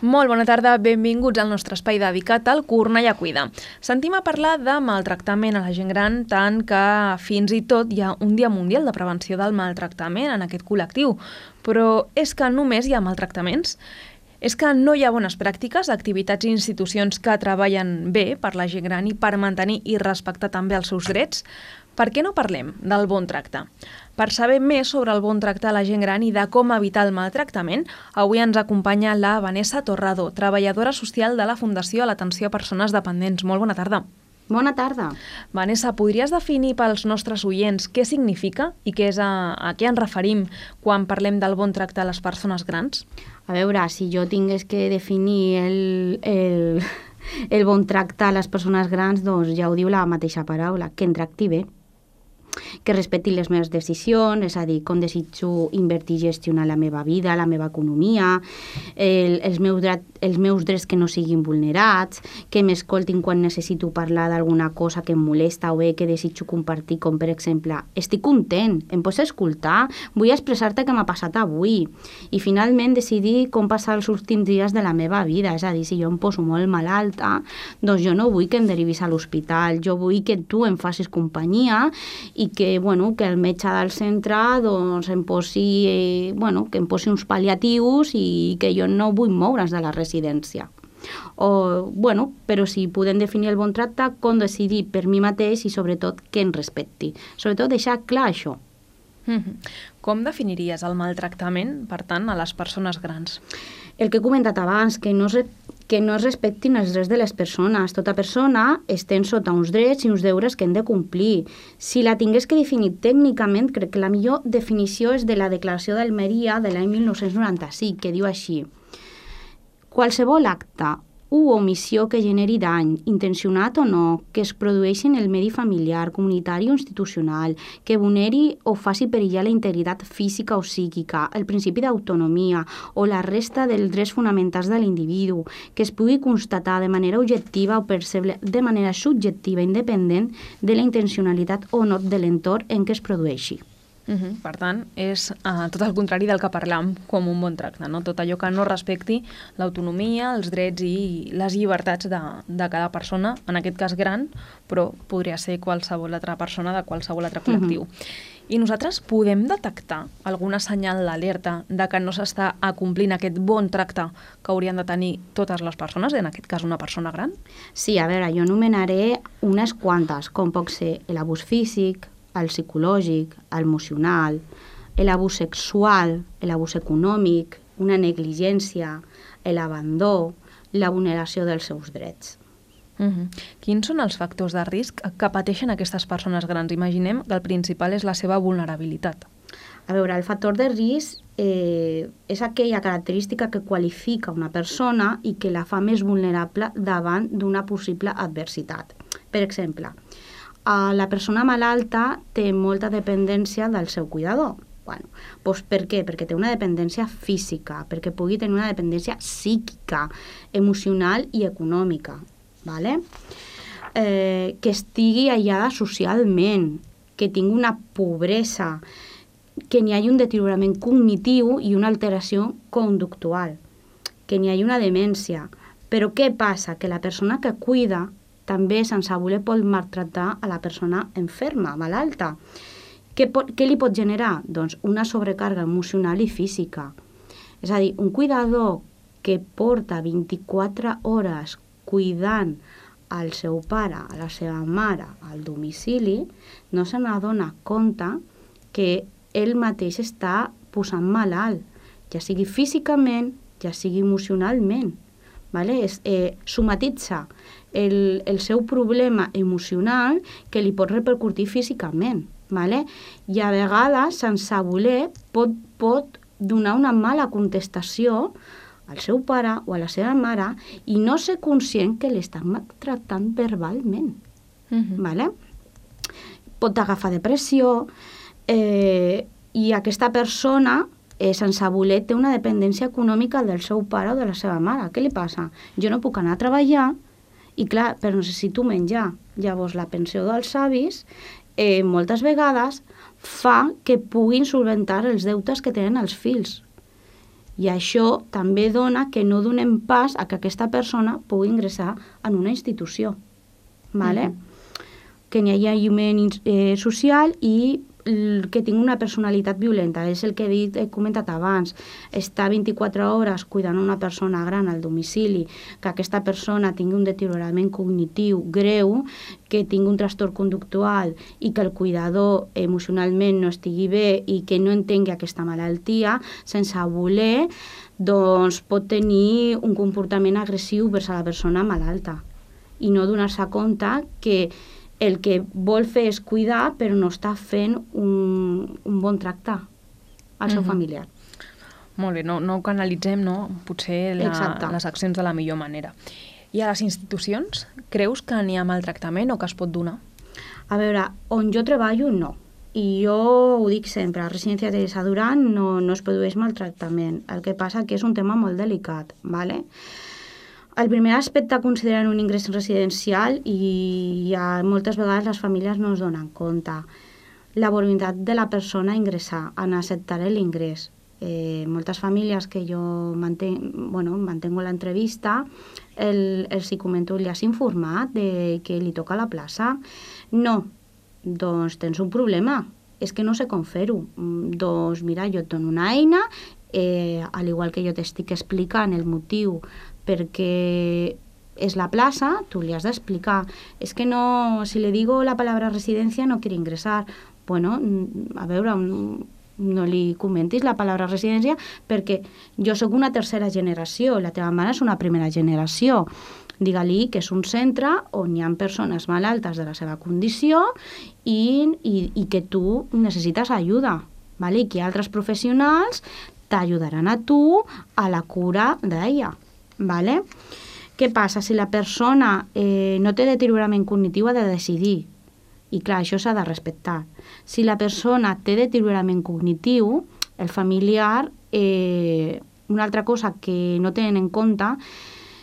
Molt bona tarda, benvinguts al nostre espai dedicat al Cornellà Cuida. Sentim a parlar de maltractament a la gent gran, tant que fins i tot hi ha un dia mundial de prevenció del maltractament en aquest col·lectiu. Però és que només hi ha maltractaments? És que no hi ha bones pràctiques, activitats i institucions que treballen bé per la gent gran i per mantenir i respectar també els seus drets? Per què no parlem del bon tracte? Per saber més sobre el bon tracte a la gent gran i de com evitar el maltractament, avui ens acompanya la Vanessa Torrado, treballadora social de la Fundació a l'Atenció a Persones Dependents. Molt bona tarda. Bona tarda. Vanessa, podries definir pels nostres oients què significa i què és a què ens referim quan parlem del bon tracte a les persones grans? A veure, si jo tingués que definir el bon tracte a les persones grans, doncs ja ho diu la mateixa paraula, que em tracti bé, que respecti les meves decisions, és a dir, com desitjo invertir i gestionar la meva vida, la meva economia, els meus drets que no siguin vulnerats, que m'escoltin quan necessito parlar d'alguna cosa que em molesta o bé que desitjo compartir, com per exemple, estic content, em pots escoltar, vull expressar-te què m'ha passat avui, i finalment decidir com passar els últims dies de la meva vida, és a dir, si jo em poso molt malalta, doncs jo no vull que em derivis a l'hospital, jo vull que tu em facis companyia i que el metge del centre doncs, em posi uns pal·liatius i que jo no vull moure's de la residència. Però si podem definir el bon tracte, com decidir per mi mateix i sobretot que em respecti. Sobretot deixar clar això. Com definiries el maltractament, per tant, a les persones grans? El que he comentat abans, que no es respectin els drets de les persones. Tota persona estem sota uns drets i uns deures que hem de complir. Si la tingués que definir tècnicament, crec que la millor definició és de la Declaració d'Almeria de l'any 1995, que diu així: qualsevol acte u omissió que generi dany, intencionat o no, que es produeixi en el medi familiar, comunitari o institucional, que vulneri o faci perillar la integritat física o psíquica, el principi d'autonomia o la resta dels drets fonamentals de l'individu, que es pugui constatar de manera objectiva o percebre de manera subjectiva independent de la intencionalitat o no de l'entorn en què es produeixi. Per tant, és tot el contrari del que parlam com un bon tracte, no? Tot allò que no respecti l'autonomia, els drets i les llibertats de cada persona, en aquest cas gran, però podria ser qualsevol altra persona de qualsevol altre col·lectiu. I nosaltres podem detectar alguna senyal d'alerta de que no s'està acomplint aquest bon tracte que haurien de tenir totes les persones, en aquest cas una persona gran? Sí, a veure, jo anomenaré unes quantes, com pot ser l'abús físic, el psicològic, l'emocional, l'abús sexual, l'abús econòmic, una negligència, l'abandó, la vulneració dels seus drets. Quins són els factors de risc que pateixen aquestes persones grans? Imaginem que el principal és la seva vulnerabilitat. A veure, el factor de risc és aquella característica que qualifica una persona i que la fa més vulnerable davant d'una possible adversitat. Per exemple, la persona malalta té molta dependència del seu cuidador. Per què? Perquè té una dependència física, perquè pugui tenir una dependència psíquica, emocional i econòmica. Que estigui aïllada socialment, que tingui una pobresa, que n'hi hagi un deteriorament cognitiu i una alteració conductual, que n'hi hagi una demència. Però què passa? Que la persona que cuida també sense voler pot maltractar a la persona enferma, malalta. Què li pot generar? Doncs una sobrecàrrega emocional i física. És a dir, un cuidador que porta 24 hores cuidant al seu pare, a la seva mare, al domicili, no se n'adona compte que ell mateix està posant malalt, ja sigui físicament, ja sigui emocionalment. Somatitza el seu problema emocional que li pot repercutir físicament. I a vegades, sense voler, pot donar una mala contestació al seu pare o a la seva mare i no ser conscient que l'estan maltractant verbalment. Pot agafar depressió i aquesta persona sense voler té una dependència econòmica del seu pare o de la seva mare. Què li passa? Jo no puc anar a treballar i clar, però necessito menjar. Llavors la pensió dels avis moltes vegades fa que puguin solventar els deutes que tenen els fills. I això també dona que no donem pas a que aquesta persona pugui ingressar en una institució. ¿Vale? Que n'hi hagi aïllament social i que tingui una personalitat violenta. És el que he comentat abans. Estar 24 hores cuidant una persona gran al domicili, que aquesta persona tingui un deteriorament cognitiu greu, que tingui un trastorn conductual i que el cuidador emocionalment no estigui bé i que no entengui aquesta malaltia, sense voler, doncs pot tenir un comportament agressiu vers la persona malalta i no donar-se compte que el que vol fer és cuidar, però no està fent un bon tracte al seu familiar. Molt bé, no ho canalitzem, no? Potser les accions de la millor manera. I a les institucions, creus que n'hi ha maltractament o que es pot donar? A veure, on jo treballo, no. I jo ho dic sempre, a la residència de Teresa Duran no es produeix maltractament. El que passa que és un tema molt delicat, ¿vale? El primer aspecte a considerar en un ingrés residencial, i moltes vegades les famílies no es donen compte, la voluntat de la persona a ingressar, en acceptar l'ingrés. Moltes famílies que jo mantengo l'entrevista, els hi comento, li has informat de que li toca la plaça? No, doncs tens un problema, és que no sé com fer-ho. Doncs mira, jo et dono una eina, al igual que jo t'estic explicant el motiu perquè és la plaça, tu li has d'explicar. És que no, si le digo la palabra residencia no quiere ingresar. Bueno, a veure, no li comentis la paraula residència perquè jo sóc una tercera generació, la teva mare és una primera generació. Digue-li que és un centre on hi ha persones malaltes de la seva condició i que tu necessites ajuda, ¿vale? I que altres professionals t'ajudaran a tu a la cura d'ella. ¿Vale? Què passa? Si la persona no té deteriorament cognitiu, ha de decidir. I clar, això s'ha de respectar. Si la persona té deteriorament cognitiu, el familiar, una altra cosa que no tenen en compte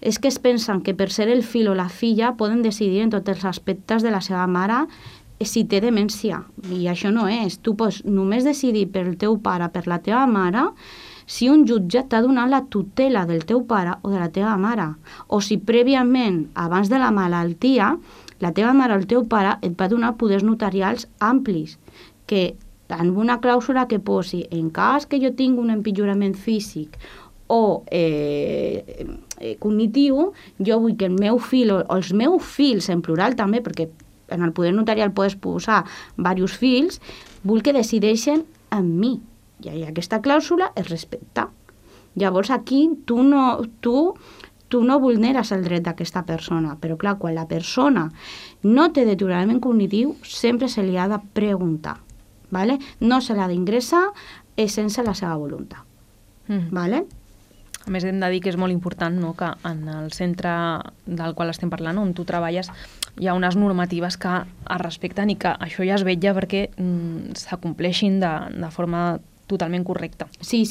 és que es pensen que per ser el fill o la filla poden decidir en tots els aspectes de la seva mare si té demència. I això no és. Tu pots només decidir pel teu pare, per la teva mare, si un jutge t'ha donat la tutela del teu pare o de la teva mare, o si prèviament, abans de la malaltia, la teva mare o el teu pare et va donar poders notarials amplis, que amb una clàusula que posi en cas que jo tingui un empitjorament físic o cognitiu, jo vull que el meu fill o els meus fills, en plural també, perquè en el poder notarial pots posar diversos fills, vull que decideixen amb mi. I aquesta clàusula es respecta. Llavors aquí tu no vulneres el dret d'aquesta persona, però clar, quan la persona no té deteriorament cognitiu, sempre se li ha de preguntar, ¿vale? No se l'ha d'ingressar sense la seva voluntat. ¿Vale? A més, hem de dir que és molt important, no?, que en el centre del qual estem parlant, on tu treballes, hi ha unes normatives que es respecten i que això ja es vetlla perquè s'acompleixin de forma totalment correcta. Sí.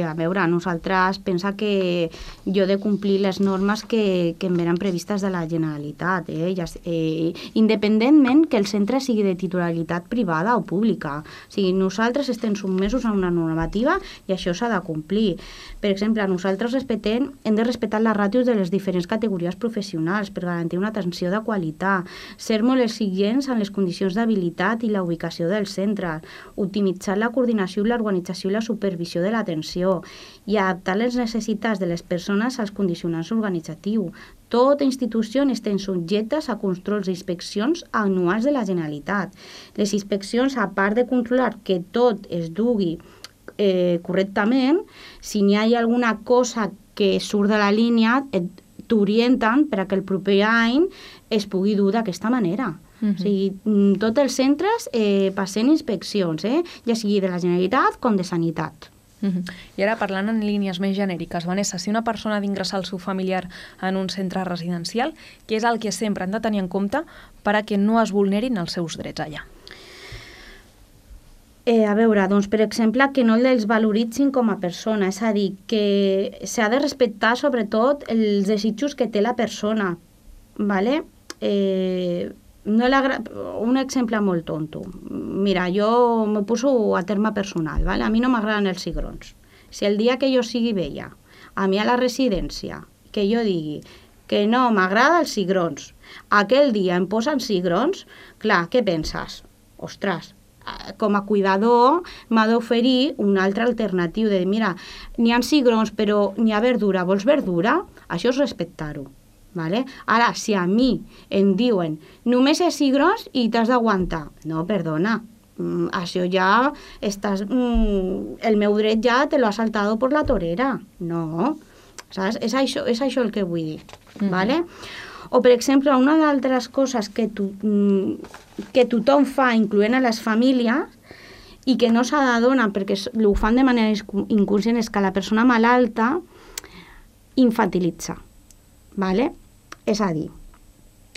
A veure, nosaltres pensa que jo he de complir les normes que em venen previstes de la Generalitat, independentment que el centre sigui de titularitat privada o pública. O sigui, nosaltres estem sotmesos a una normativa i això s'ha de complir. Per exemple, nosaltres hem de respectar les ràtios de les diferents categories professionals per garantir una atenció de qualitat, ser molt exigents en les condicions d'habilitat i la ubicació del centre, optimitzar la coordinació i l'organització i la supervisió de l'atenció i adaptar les necessitats de les persones als condicionants organitzatius. Tota institució estan subjectes a controls i inspeccions anuals de la Generalitat. Les inspeccions, a part de controlar que tot es dugui correctament, si n'hi ha alguna cosa que surt de la línia, t'orienten per a que el proper any es pugui dur d'aquesta manera. O sigui, tots els centres passen inspeccions, ja sigui de la Generalitat com de Sanitat. I ara, parlant en línies més genèriques, Vanessa, si una persona ha d'ingressar el seu familiar en un centre residencial, què és el que sempre han de tenir en compte per a que no es vulnerin els seus drets allà? A veure, doncs, per exemple, que no els valoritzin com a persona, és a dir, que s'ha de respectar sobretot els desitjos que té la persona, ¿vale? Un exemple molt tonto. Mira, jo m'ho poso a terme personal, ¿vale? A mi no m'agraden els cigrons. Si el dia que jo sigui vella, a mi a la residència, que jo digui que no m'agrada els cigrons, aquell dia em posen cigrons, clar, què penses? Ostres, com a cuidador m'ha d'oferir un altre alternatiu de dir, mira, n'hi ha cigrons però n'hi ha verdura, vols verdura? Això és respectar-ho. Vale? Ara, si a mi em diuen només és cigrons i t'has d'aguantar, no, perdona, això ja estàs, el meu dret ja te lo has saltado por la torera, no, saps? És això el que vull dir, vale? O, per exemple, una d'altres coses que tothom fa, incloent a les famílies, i que no s'adonen perquè ho fan de manera inconscient, és que la persona malalta infantilitza, vale? És a dir,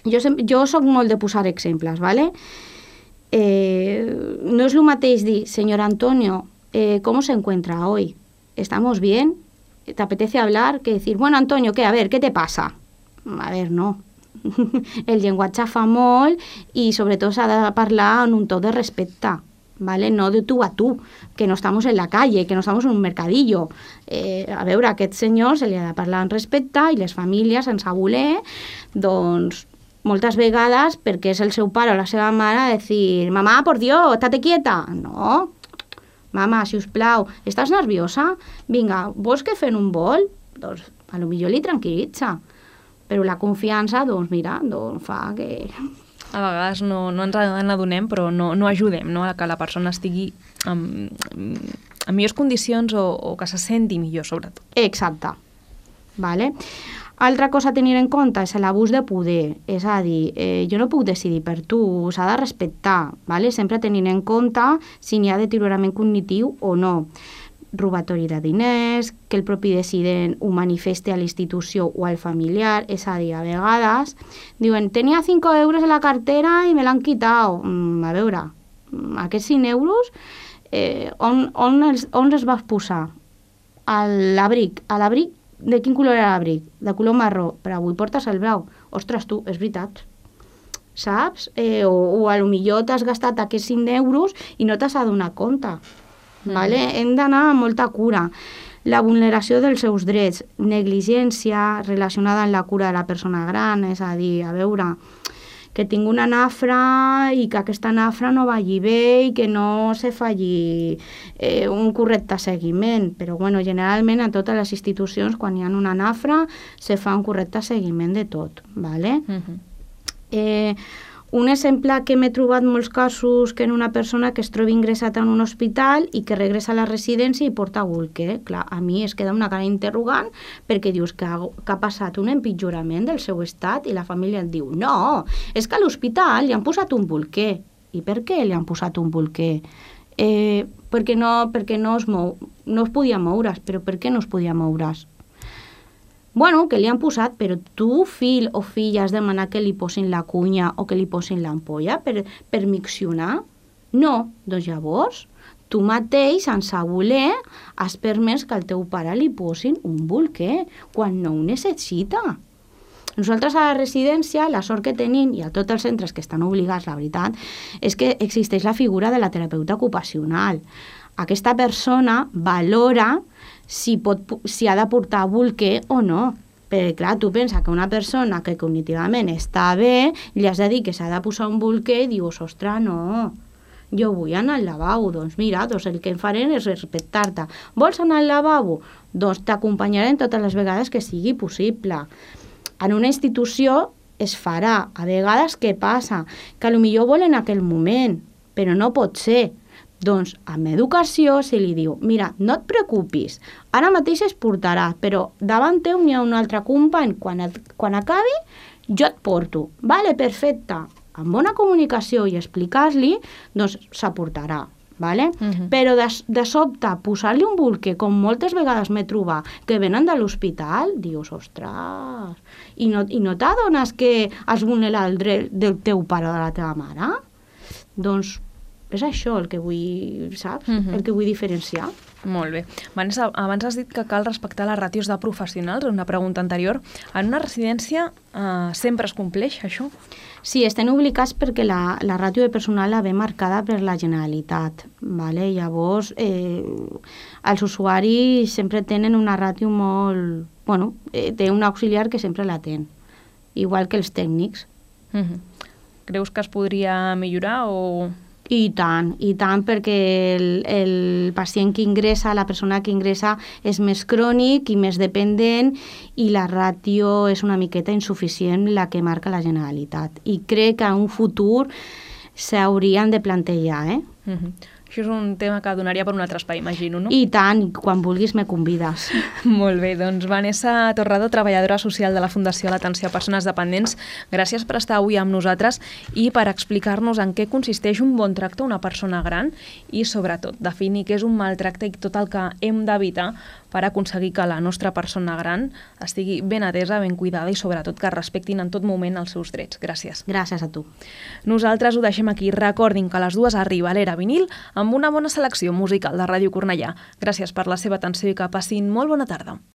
jo soc molt de posar exemples, ¿vale? No es lo mateix dir, señor Antonio, ¿cómo se encuentra hoy? ¿Estamos bien? ¿Te apetece hablar? Que decir, bueno, Antonio, ¿qué? A ver, ¿qué te pasa? A ver, no. El llenguatge fa molt i sobretot s'ha de parlar en un to de respecte, ¿vale? No de tú a tú, que no estamos en la calle, que no estamos en un mercadillo. A veure, a aquest senyor se li ha de parlar en respecte i les famílies, sense voler, doncs, moltes vegades, perquè és el seu pare o la seva mare, dir, mamá, por Dios, estate quieta. No, mama, si us plau, estàs nerviosa? Vinga, vols que fem un vol? Doncs, a lo millor li tranquil·litza. Però la confiança, doncs, mira, doncs fa que... A vegades no ens n'adonem, però no ajudem, no?, a que la persona estigui en millors condicions o que se senti millor, sobretot. Exacte. Vale? Altra cosa a tenir en compte és l'abús de poder. És a dir, jo no puc decidir per tu, s'ha de respectar, vale? Sempre tenint en compte si n'hi ha deteriorament cognitiu o no. Robatori de diners, que el propi decident ho manifeste a la institució o al familiar, és a dir, a vegades diuen, tenia 5 euros a la cartera i me l'han quitat. A veure, aquests 5 euros on els vas posar? A l'abric. A l'abric, de quin color era l'abric? De color marró, però avui portes el blau. Ostres, tu, és veritat. Saps? O a lo millor t'has gastat aquests 5 euros i no t'has adonat compte. Vale? Hem d'anar amb molta cura. La vulneració dels seus drets, negligència relacionada amb la cura de la persona gran, és a dir, a veure, que tinc una nafra i que aquesta nafra no vagi bé i que no se faci un correcte seguiment. Però, bueno, generalment a totes les institucions, quan hi ha una nafra, se fa un correcte seguiment de tot, vale? Un exemple que m'he trobat molts casos que en una persona que es troba ingressat en un hospital i que regressa a la residència i porta bolquer. Clar, a mi es queda una cara interrogant perquè dius que ha passat un empitjorament del seu estat i la família et diu no, és que a l'hospital li han posat un bolquer. I per què li han posat un bolquer? Perquè no es podia moure's. Però per què no es podia moure's? Bueno, que li han posat, però tu, fill o filla, has demanat que li posin la cunya o que li posin l'ampolla per miccionar? No, doncs llavors, tu mateix, sense voler, has permès que al teu pare li posin un bolquer quan no ho necessita. Nosaltres a la residència, la sort que tenim, i a tots els centres que estan obligats, la veritat, és que existeix la figura de la terapeuta ocupacional. Aquesta persona valora si ha de portar bolquer o no. Perquè, clar, tu pensa que una persona que cognitivament està bé, li has de dir que s'ha de posar un bolquer i dius, ostres, no, jo vull anar al lavabo. Doncs mira, el que em farem és respectar-te. Vols anar al lavabo? Doncs t'acompanyarem totes les vegades que sigui possible. En una institució es farà. A vegades què passa? Que potser vol en aquell moment, però no pot ser. Doncs amb educació se li diu, mira, no et preocupis, ara mateix es portarà, però davant teu n'hi ha un altre company, quan acabi jo et porto. Vale, perfecte. Amb bona comunicació i explicar-li, doncs s'aportarà. Vale? Però de sobte posar-li un bolquer, com moltes vegades m'he trobat, que venen de l'hospital, dius, ostres, i no t'adones que has vulnerat el dret del teu pare o de la teva mare? Doncs És això el que vull, saps? El que vull diferenciar. Molt bé. Vanessa, abans has dit que cal respectar les ràtios de professionals, una pregunta anterior. En una residència sempre es compleix això? Sí, estem obligats perquè la ràtio de personal la ve marcada per la Generalitat. Vale? Llavors, els usuaris sempre tenen una ràtio molt... Bueno, té un auxiliar que sempre la ten, igual que els tècnics. Creus que es podria millorar o...? I tant, perquè el pacient que ingressa, la persona que ingressa és més crònic i més dependent i la ràtio és una miqueta insuficient la que marca la Generalitat. I crec que en un futur s'haurien de plantejar, Això és un tema que donaria per un altre espai, imagino, no? I tant, quan vulguis me convides. Molt bé, doncs Vanessa Torrado, treballadora social de la Fundació a l'Atenció a Persones Dependents, gràcies per estar avui amb nosaltres i per explicar-nos en què consisteix un bon tracte a una persona gran i, sobretot, definir què és un maltracte i tot el que hem d'evitar per aconseguir que la nostra persona gran estigui ben atesa, ben cuidada i, sobretot, que respectin en tot moment els seus drets. Gràcies. Gràcies a tu. Nosaltres ho deixem aquí. Recordin que a les 2 arriba l'Era Vinil amb una bona selecció musical de Ràdio Cornellà. Gràcies per la seva atenció i que passin molt bona tarda.